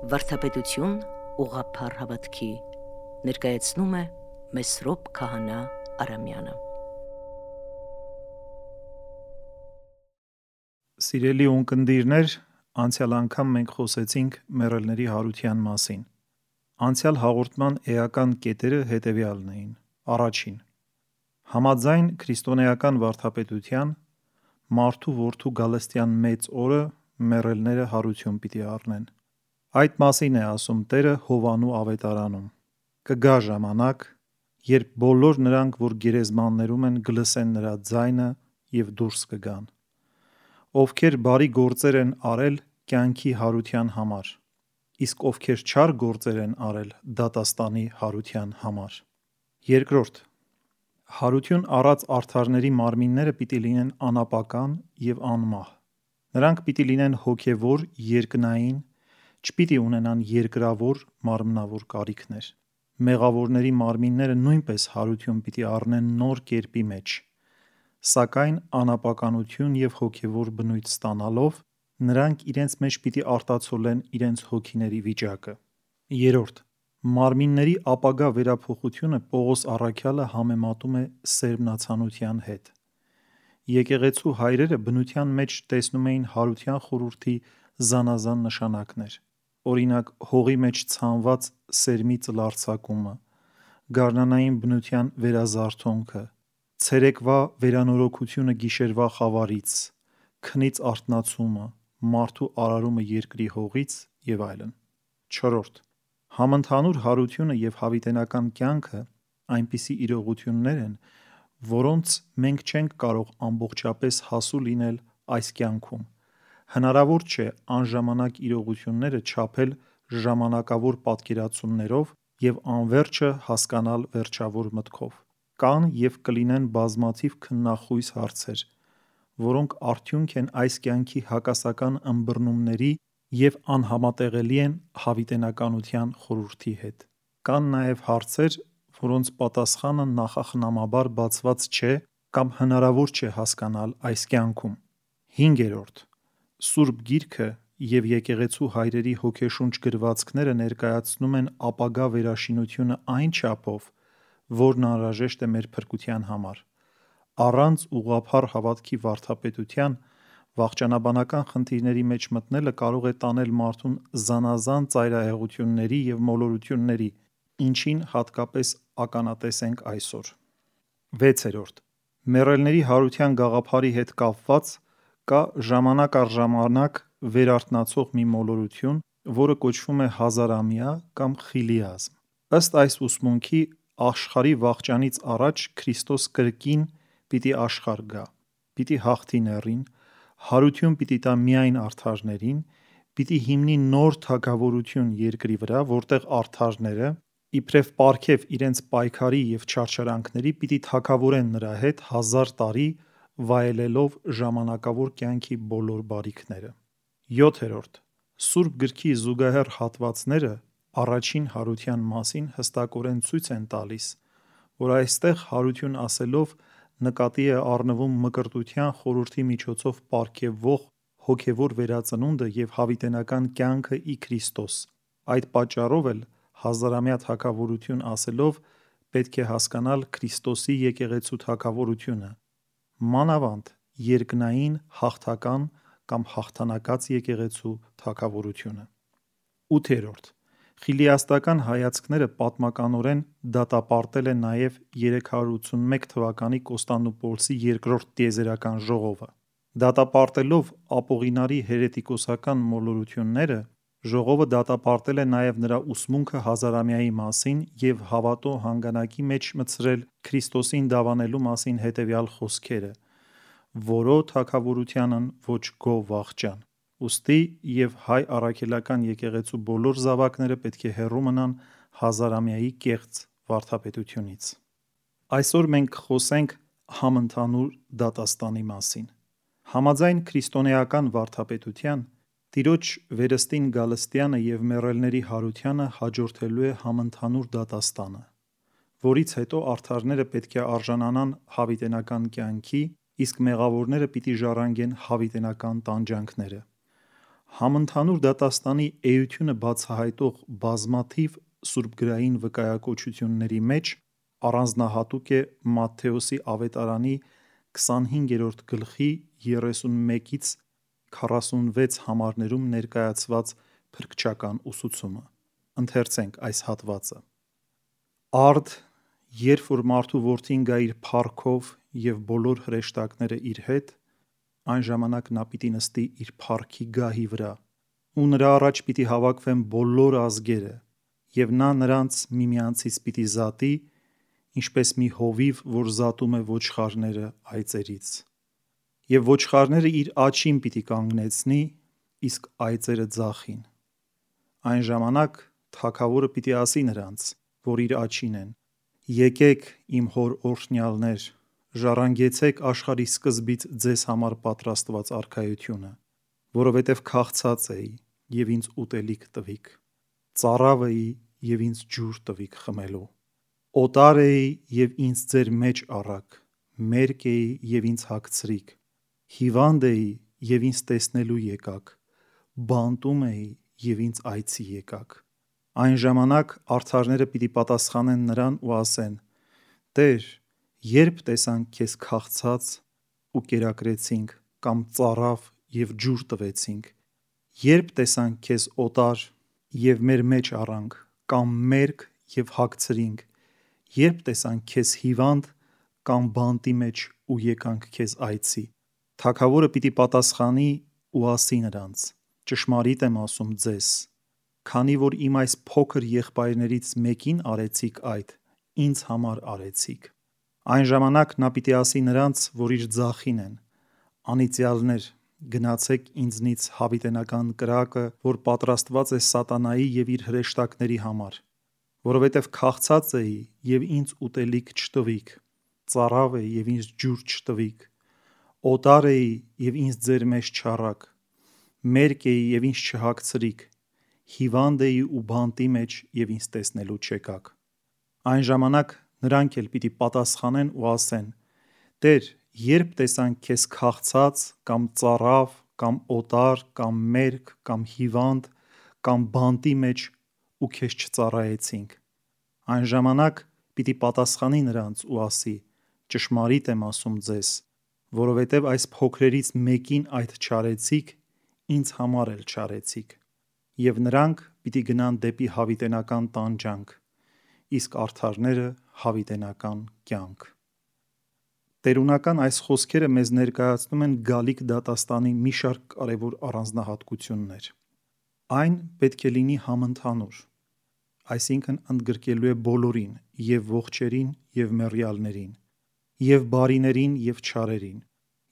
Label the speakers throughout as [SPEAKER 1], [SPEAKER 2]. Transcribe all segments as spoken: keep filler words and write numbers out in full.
[SPEAKER 1] Վարդապետություն ուղղափառ հավատքի ներկայացնում է Մեսրոպ Քահանա Արամյանը։
[SPEAKER 2] Սիրելի ունկնդիրներ, անցյալ անգամ մենք խոսեցինք մեռելների հարության մասին։ Անցյալ հաղորդման էական կետերը հետևյալն էին. Առաջին. Համաձայն քրիստոնեական վարդապետության, մարդու որդու գալստյան մեծ օրը մեռելները հարություն պիտի առնեն։ Այդ մասին է ասում Տերը Հովանու ավետարանում. Կգա ժամանակ, երբ բոլոր նրանք, որ գերեզմաններում են, կլսեն նրա ձայնը և դուրս կգան, ովքեր բարի գործեր են արել կյանքի հարության համար, իսկ ովքեր չար գործեր են արել դատաստանի հարության համար։ Երկրորդ. Հարություն առած արդարների մարմինները պիտի լինեն անապական և անմահ։ Նրանք պիտի լինեն հոգևոր, երկնային, չպիտի ունենան երկրավոր մարմնավոր կարիքներ։ Մեղավորների մարմինները նույնպես հարություն պիտի առնեն նոր կերպի մեջ, սակայն անապականություն և հոգևոր բնույթ ստանալով, նրանք իրենց մեջ պիտի արտացոլեն իրենց հոգիների վիճակը։ Երրորդ. Մարմինների ապագա վերափոխությունը Պողոս առաքյալը համեմատում է սերմնացանության հետ։ Եկեղեցու հայրերը բնության մեջ տեսնում էին հարության խորհրդի զանազան նշանակներ, օրինակ հողի մեջ ցանված սերմի ծլարձակումը, գարնանային բնության վերազարթոնքը, ցերեկվա վերանորոգությունը գիշերվա խավարից, քնից արթնացումը, մարդու արարումը երկրի հողից և այլն։ Չորրորդ. Համընդհանուր հարությունը և հավիտենական կյանքը այնպիսի իրողություններ են, որոնց մենք չենք կարող ամբողջապես հասու լինել այս կյանքում։ Հնարավոր չէ անժամանակ իրողությունները չափել ժամանակավոր պատկերացումներով և անվերջը հասկանալ վերջավոր մտքով։ Կան և կլինեն բազմաթիվ քննախույս հարցեր, որոնք արդյունք են այս կյանքի հակասական ըմբռնումների և անհամատեղելի են հավիտենականության խորհրդի հետ։ Կան նաև հարցեր, որոնց պատասխանը նախախնամաբար բացված չէ կամ հնարավոր չէ հասկանալ այս կյանքում։ Հինգերորդ. Սուրբ Գիրքը և եկեղեցու հայրերի հոգեշունչ գրվածքները ներկայացնում են ապագա վերաշինությունը այն չափով, որն անհրաժեշտ է մեր փրկության համար։ Առանց ուղղափառ հավատքի վարդապետության վախճանաբանական խնդիրների մեջ մտնելը կարող է տանել մարդուն զանազան ծայրահեղությունների և մոլորությունների, ինչին հատկապես ականատես ենք այսօր։ Վեցերորդ. Մեռելների հարության գաղափարի հետ կապված կա ժամանակ առ ժամանակ վերարթնացող մի մոլորություն, որը կոչվում է հազարամյա կամ խիլիազմ։ Ըստ այս ուսմունքի, աշխարհի վախճանից առաջ Քրիստոս կրկին պիտի աշխարհ գա, պիտի հաղթի նեռին, հարություն պիտի տա միայն արդարներին, պիտի հիմնի նոր թագավորություն երկրի վրա, որտեղ արդարները, իբրև պարգև իրենց պայքարի և չարչարանքների, պիտի թագավորեն նրա հետ հազար տարի, վայելելով ժամանակավոր կյանքի բոլոր բարիքները։ Յոթերորդ. Սուրբ Գրքի զուգահեռ հատվածները առաջին հարության մասին հստակորեն ցույց են տալիս, որ այստեղ հարություն ասելով նկատի է առնվում մկրտության խորհրդի միջոցով պարգևվող հոգևոր վերածնունդը և հավիտենական կյանքը ի Քրիստոս։ Այդ պատճառով էլ հազարամյա թագավորություն ասելով պետք է հասկանալ Քրիստոսի եկեղեցու թագավորությունը, մանավանդ երկնային հաղթական կամ հաղթանակած եկեղեցու թագավորությունը։ Ութերորդ. Խիլիաստական հայացքները պատմականորեն դատապարտել է նաև երեք հարյուր ութսունմեկ թվականի Կոստանդնուպոլսի երկրորդ տիեզերական ժողովը։ Դատապարտելով ապօղինարի հերետիկոսական մոլորությունները, ժողովը դատապարտել է նաև նրա ուսմունքը հազարամյայի մասին և հավատո հանգանակի մեջ մտցրել Քրիստոսին դավանելու մասին հետևյալ խոսքերը. «Որո թագավորությանն ոչ գոհ վախճան»։ Ուստի և հայ առաքելական եկեղեցու բոլոր զավակները պետք է հեռու մնան հազարամյայի կեղծ վարդապետությունից։ Այսօր մենք կխոսենք համընդհանուր դատաստանի մասին։ Համաձայն քրիստոնեական վարդապետության, Տիրոջ վերստին գալստյանը և մեռելների հարությանը հաջորդելու է համընդհանուր դատաստանը, որից հետո արդարները պետք է արժանանան հավիտենական կյանքի, իսկ մեղավորները պիտի ժառանգեն հավիտենական տանջանքները։ Համընդհանուր դատաստանի էությունը բացահայտող բազմաթիվ սուրբգրային վկայակոչությունների մեջ առանձնահատուկ է Մատթեոսի ավետարանի քսանհինգերորդ գլխի երեսունմեկից քառասունվեց համարներում ներկայացված փրկչական ուսուցումը։ Ընթերցենք այս հատվածը. Արդ, երբ որ մարդու որդին գա իր փառքով և բոլոր հրեշտակները իր հետ, այն ժամանակ նա պիտի նստի իր փառքի գահի վրա, ու նրա առաջ պիտի հավաքվեն բոլոր ազգերը, և նա նրանց միմյանցից պիտի զատի, ինչպես մի հովիվ, որ զատում է ոչխարները այծերից։ Եվ ոչխարները իր աջին պիտի կանգնեցնի, իսկ այծերը ձախին։ Այն ժամանակ թագավորը պիտի ասի նրանց, որ իր աջին են. «Եկեք, իմ հոր օրհնյալներ, ժառանգեցեք աշխարհի սկզբից ձեզ համար պատրաստված արքայությունը, որովհետև քաղցած էի, և ինձ ուտելիք տվիք, ծարավ էի, և ինձ ջուր տվիք խմելու, օտար էի, և ինձ ձեր մեջ առաք, մերկ էի, և ինձ հագցրիք, հիվանդ էի, և ինձ տեսնելու եկաք, բանտում էի, և ինձ այցի եկաք»։ Այն ժամանակ արդարները պիտի պատասխանեն նրան ու ասեն. «Տեր, երբ տեսանք քեզ քաղցած ու կերակրեցինք, կամ ծարավ և ջուր տվեցինք, երբ տեսանք քեզ օտար և մեր մեջ առանք, կամ մերկ և հագցրինք, երբ տեսանք քեզ հիվանդ կամ բանտի մեջ ու եկանք քեզ այցի»։ Թագավորը պիտի պատասխանի ու ասի նրանց. «Ճշմարիտ եմ ասում ձեզ, քանի որ իմ այս փոքր եղբայրներից մեկին արեցիք այդ, ինձ համար արեցիք»։ Այն ժամանակ նա պիտի ասի նրանց, որ իր ձախին են. «Անիծյալներ, գնացեք ինձնից հավիտենական կրակը, որ պատրաստված է սատանայի և իր հրեշտակների համար, որովհետև քաղցած էի, և ինձ ուտելիք չտվիք, ծարավ էի, և ինձ ջուր չտվիք, օտար էի, և ինձ ձեր մեջ չառաք, մերկ էի, և ինձ չհագցրիք, հիվանդ էի ու բանտի մեջ, և ինձ տեսնելու չեկաք»։ Այն ժամանակ նրանք էլ պիտի պատասխանեն ու ասեն. «Տեր, երբ տեսանք քեզ քաղցած, կամ ծարավ, կամ օտար, կամ մերկ, կամ հիվանդ, կամ բանտի մեջ ու քեզ չծառայեցինք»։ Այն ժամանակ պիտի պատասխանի նրանց ու ասի. «Ճշմարիտ եմ ասում ձեզ, որովհետև այս փոքրերից մեկին այդ չարեցիք, ինձ համար էլ չարեցիք»։ Եվ նրանք պիտի գնան դեպի հավիտենական տանջանք, իսկ արդարները՝ հավիտենական կյանք։ Տերունական այս խոսքերը մեզ ներկայացնում են գալիք դատաստանի մի շարք կարևոր առանձնահատկություններ։ Այն պետք է լինի համընդհանուր, այսինքն ընդգրկելու է բոլորին՝ և ողջերին, և մեռյալներին, և բարիներին, և չարերին,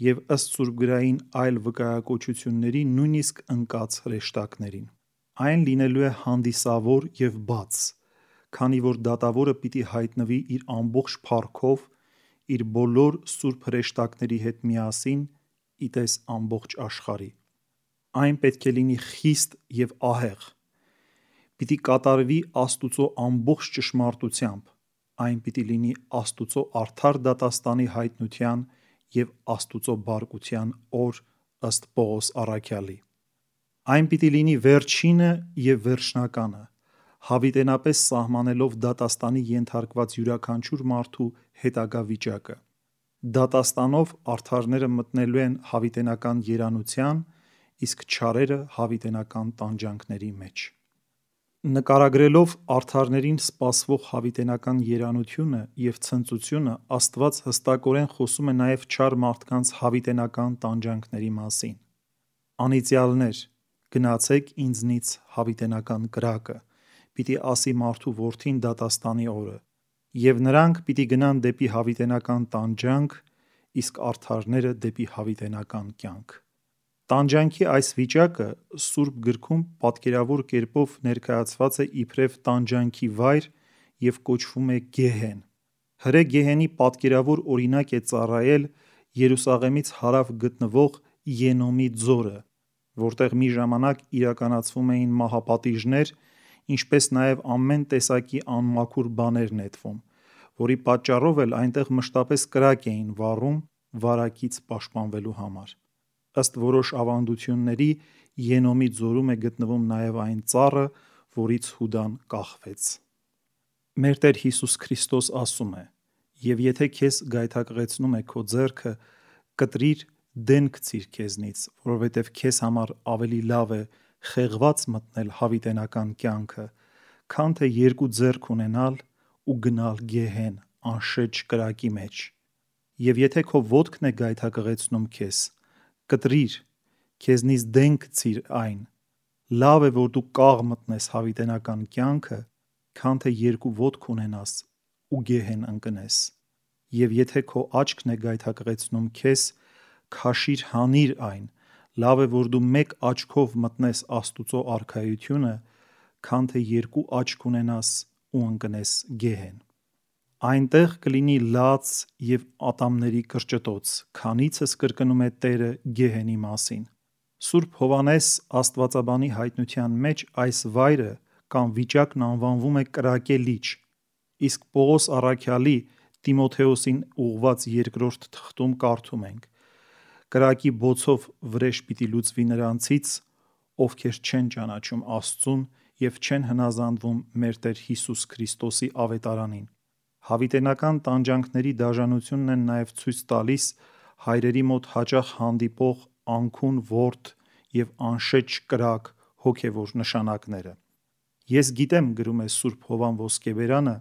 [SPEAKER 2] և ըստ սուրբգրային այլ վկայակոչությունների նույնիսկ ընկած հրեշտակներին։ Այն լինելու է հանդիսավոր և բաց, քանի որ դատավորը պիտի հայտնվի իր ամբողջ փառքով իր բոլոր սուրբ հրեշտակների հետ միասին ի տես ամբողջ աշխարհի։ Այն պետք է լինի խիստ և ահեղ, պիտի կատարվի Աստուծո ամբողջ ճշմարտությամբ, այն պիտի լինի Աստուծո արդար դատաստանի հայտնության և Աստուծո բարկության օր ըստ Պողոս առաքյալի։ Այն պիտի լինի վերջինը և վերջնականը, հավիտենապես սահմանելով դատաստանի ենթարկված յուրաքանչյուր մարդու հետագա վիճակը։ Դատաստանով արդարները մտնելու են հավիտենական երանության, իսկ չարերը հավիտենական տանջանքների մեջ։ Նկարագրելով արդարներին սպասվող հավիտենական երանությունը և ցնծությունը, Աստված հստակորեն խոսում է նաև չար մարդկանց հավիտենական տանջանքների մասին։ «Անիծյալներ, գնացեք ինձնից հավիտենական կրակը», պիտի ասի մարդու որդին դատաստանի օրը, և նրանք պիտի գնան դեպի հավիտենական տանջանք, իսկ արդարները՝ դեպի հավիտենական կյանք։ Տանջանքի այս վիճակը Սուրբ Գրքում պատկերավոր կերպով ներկայացված է իբրև տանջանքի վայր և կոչվում է Գեհեն։ Հրե գեհենի պատկերավոր օրինակ է ծառայել Երուսաղեմից հարավ գտնվող Ենոմի ձորը, որտեղ մի ժամանակ իրականացվում էին մահապատիժներ, ինչպես նաև ամեն տեսակի անմաքուր բաներ նետվում, որի պատճառով էլ այնտեղ մշտապես կրակ էին վառում վարակից պաշտպանվելու համար։ Ըստ որոշ ավանդությունների, Ենոմի ձորում է գտնվում նաև այն ծառը, որից Հուդան կախվեց։ Մեր Տեր Հիսուս Քրիստոս ասում է. «Եվ եթե քեզ գայթակղեցնում է քո ձեռքը, կտրիր, դեն գցիր քեզնից, որովհետև քեզ համար ավելի լավ է խեղված մտնել հավիտենական կյանքը, քան թե երկու ձեռք ունենալ ու գնալ գեհեն անշեջ կրակի մեջ։ Եվ եթե քո ոտքն է գայթակղեցնում քեզ, կտրիր, քեզնից դեն գցիր այն։ Լավ է, որ դու կաղ մտնես հավիտենական կյանքը, քան թե երկու ոտք ունենաս ու գեհեն ընկնես։ Եվ եթե քո աչքն է գայթակղեցնում քեզ, քաշիր հանիր այն, լավ է, որ դու մեկ աչքով մտնես Աստուծո արքայությունը, քան թե երկու աչք ունենաս ու ընկնես գեհեն։ Այնտեղ կլինի լաց և ատամների կրճտոց, քանիցս կրկնում է Տերը գեհենի մասին։ Սուրբ Հովհաննես աստվածաբանի հայտնության մեջ այս վայրը կամ վիճակն անվանվում է կրակե լիճ, իսկ Պողոս առաքյալի Տիմոթեոսին ուղղված երկրորդ թղթում կարդում ենք. «Կրակի բոցով վրեժ պիտի լուծվի նրանցից, ովքեր չեն ճանաչում Աստծուն և չեն հնազանդվում մեր Տեր Հիսուս Քրիստոսի ավետարանին»։ Հավիտենական տանջանքների դաժանությունն են նաև ցույց տալիս հայրերի մոտ հաճախ հանդիպող անքուն ворդ և անշեջ կրակ հոգևոր նշանակները։ Ես գիտեմ, գրում է Սուրբ Հովհան Ոսկեբերյանը,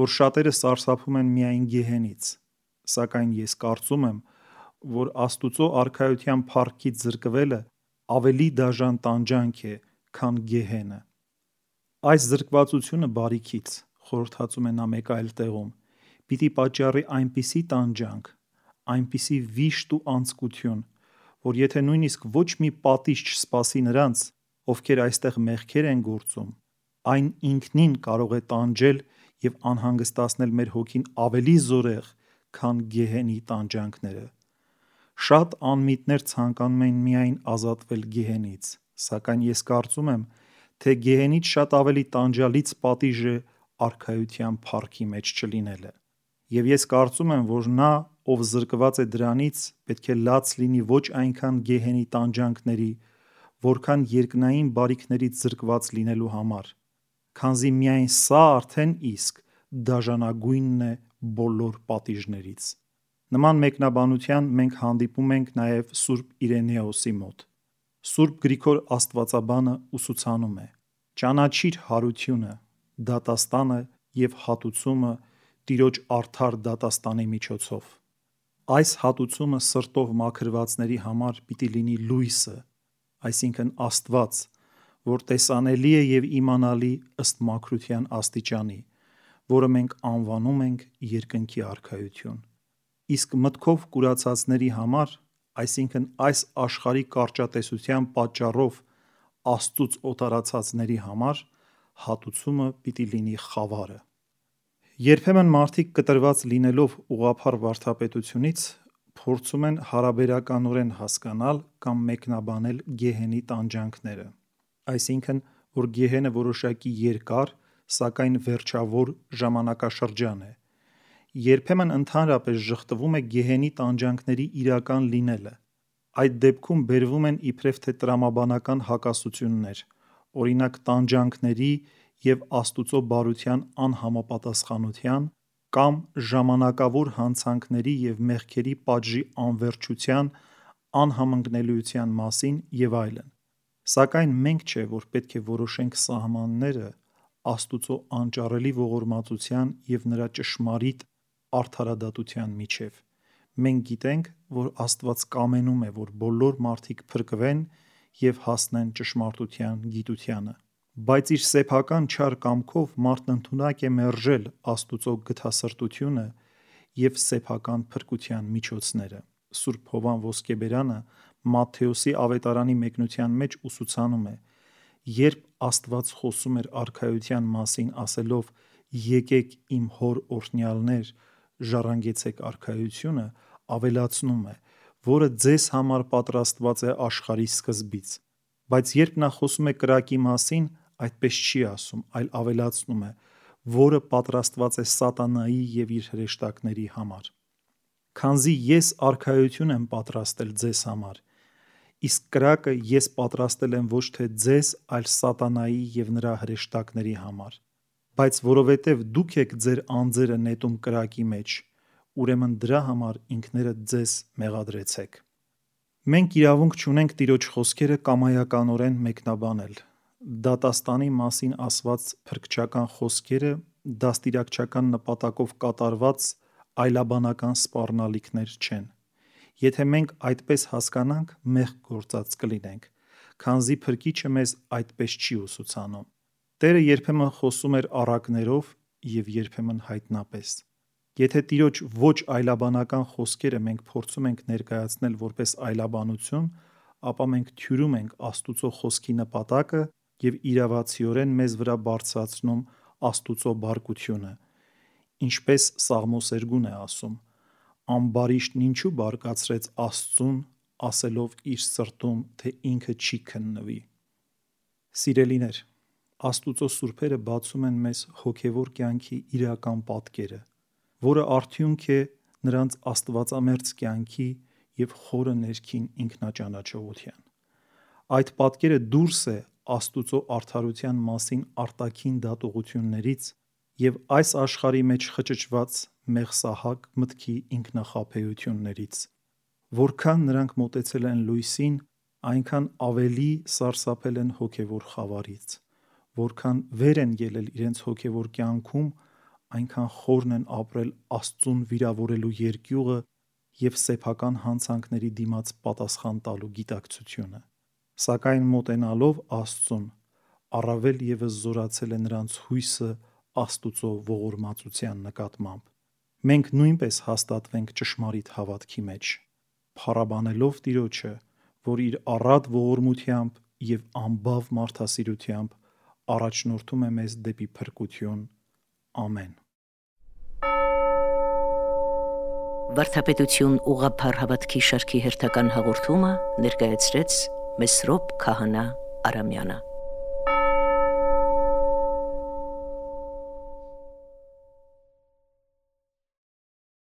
[SPEAKER 2] որ շատերը սարսափում են միայն գեհենից, սակայն ես կարծում եմ, որ Աստուծո արքայության փառքից զրկվելը ավելի դաժան տանջանք է, քան գեհենը։ Այս զրկվածությունը բարիքից, խորհրդածում է նա մեկ այլ տեղում, պիտի պատճառի այնպիսի տանջանք, այնպիսի վիշտ ու անձկություն, որ եթե նույնիսկ ոչ մի պատիժ չսպասի նրանց, ովքեր այստեղ մեղքեր են գործում, այն ինքնին կարող է տանջել և անհանգստացնել մեր հոգին ավելի զորեղ, քան գեհենի տանջանքները։ Շատ անմիտներ ցանկանում են միայն ազատվել գեհենից, սակայն ես կարծում եմ, թե գեհենից շատ ավելի տանջալից պատիժ է արքայության փառքի մեջ չլինելը։ Եվ ես կարծում եմ, որ նա, ով զրկված է դրանից, պետք է լաց լինի ոչ այնքան գեհենի տանջանքների, որքան երկնային բարիքներից զրկված լինելու համար, քանզի միայն սա արդեն իսկ դաժանագույնն է բոլոր պատիժներից։ Նման մեկնաբանության մենք հանդիպում ենք նաև Սուրբ Իրենեոսի մոտ։ Սուրբ Գրիգոր Աստվածաբանը ուսուցանում է. «Ճանաչիր հարությունը, դատաստանը և հատուցումը Տիրոջ արդար դատաստանի միջոցով»։ Այս հատուցումը սրտով մաքրվածների համար պիտի լինի լույսը, այսինքն Աստված, որ տեսանելի է և իմանալի ըստ մաքրության աստիճանի, որը մենք անվանում ենք երկնքի արքայություն։ Իսկ մտքով կուրացածների համար, այսինքն այս աշխարհի կարճատեսության պատճառով Աստծուց օտարացածների համար, հատուցումը պիտի լինի խավարը։ Երբեմն մարդիկ կտրված լինելով ուղղափառ վարդապետությունից, փորձում են հարաբերականորեն հասկանալ կամ մեկնաբանել գեհենի տանջանքները, այսինքն, որ գեհենը որոշակի երկար, սակայն վերջավոր ժամանակաշրջան է։ Երբեմն ընդհանրապես ժխտվում է գեհենի տանջանքների իրական լինելը։ Այդ դեպքում բերվում են իբրև թե տրամաբանական հակասություններ, օրինակ տանջանքների և Աստուծո բարության անհամապատասխանության կամ ժամանակավոր հանցանքների և մեղքերի պատժի անվերջության անհամընկնելիության մասին և այլն։ Սակայն մենք չէ, որ պետք է որոշենք սահմանները Աստուծո անճարելի ողորմածության և նրա ճշմարիտ արդարադատության միջև։ Մենք գիտենք, որ Աստված կամենում է, որ բոլոր մարդիկ փրկվեն և հասնեն ճշմարտության գիտությանը։ Բայց իր սեփական չար կամքով մարդն ընդունակ է մերժել Աստուծո գթասրտությունը և սեփական փրկության միջոցները։ Սուրբ Հովհան Ոսկեբերյանը Մատթեոսի ավետարանի մեկնության մեջ ուսուցանում է. երբ Աստված խոսում էր արքայության մասին ասելով. «Եկեք իմ Հոր օրհնյալներ, ժառանգեցեք արքայությունը», ավելացնում է, որը ձեզ համար պատրաստված է աշխարհի սկզբից։ Բայց երբ նա խոսում է կրակի մասին, այդպես չի ասում, այլ ավելացնում է, որը պատրաստված է սատանայի և իր հրեշտակների համար։ Քանզի ես արքայություն եմ պատրաստել ձեզ համար, Իսկ կրակը ես պատրաստել եմ ոչ թե ձեզ, այլ սատանայի և նրա հրեշտակների համար։ Բայց որովհետև դուք եք ձեր անձերը նետում կրակի մեջ, ուրեմն դրա համար ինքներդ ձեզ մեղադրեցեք։ Մենք իրավունք չունենք Տիրոջ խոսքերը կամայականորեն մեկնաբանել։ Դատաստանի մասին ասված փրկչական խոսքերը դաստիարակչական նպատակով կատարված այլաբանական սպառնալիքներ չեն։ Եթե մենք այդպես հասկանանք, մեղք գործած կլինենք, քանզի Փրկիչը մեզ այդպես չի ուսուցանում։ Տերը երբեմն խոսում էր առակներով և երբեմն հայտնապես։ Եթե Տիրոջ ոչ այլաբանական խոսքերը մենք փորձում ենք ներկայացնել որպես այլաբանություն, ապա մենք թյուրում ենք Աստուծո խոսքի նպատակը և իրավացիորեն մեզ վրա բարձրացնում Աստուծո բարկությունը, ինչպես Սաղմոսերգուն է ասում. «Ամբարիշտն ինչու բարկացրեց Աստծուն, ասելով իր սրտում, թե ինքը չի քննվի»։ Սիրելիներ, Աստուծո սուրբերը բացում են մեզ հոգևոր կյանքի իրական պատկերը, որը արդյունք է նրանց աստվածամերձ կյանքի և խորը ներքին ինքնաճանաչողության։ Այդ պատկերը դուրս է Աստուծո արդարության մասին արտաքին դատողություններից և այս աշխարհի մեջ խճճված մեղսահակ մտքի ինքնախաբեություններից։ Որքան նրանք մոտեցել են լույսին, այնքան ավելի սարսափել են հոգևոր խավարից։ Որքան վեր են ելել իրենց հոգևոր կյանքում, այնքան խորն են ապրել Աստծուն վիրավորելու երկյուղը և սեփական հանցանքների դիմաց պատասխան տալու գիտակցությունը։ Սակայն մոտենալով Աստծուն, առավել ևս զորացել է նրանց հույսը Աստուծո ողորմածության նկատմամբ։ Մենք նույնպես հաստատվենք ճշմարիտ հավատքի մեջ, փառաբանելով Տիրոջը, որ իր առատ ողորմությամբ և անբավ մարդասիրությամբ առաջնորդում է մեզ դեպի փրկություն։ Ամեն։
[SPEAKER 1] Վարդապետություն ուղղափառ հավատքի շարքի հերթական հաղորդումը ներկայացրեց Մեսրոպ Քահանա Արամյանը։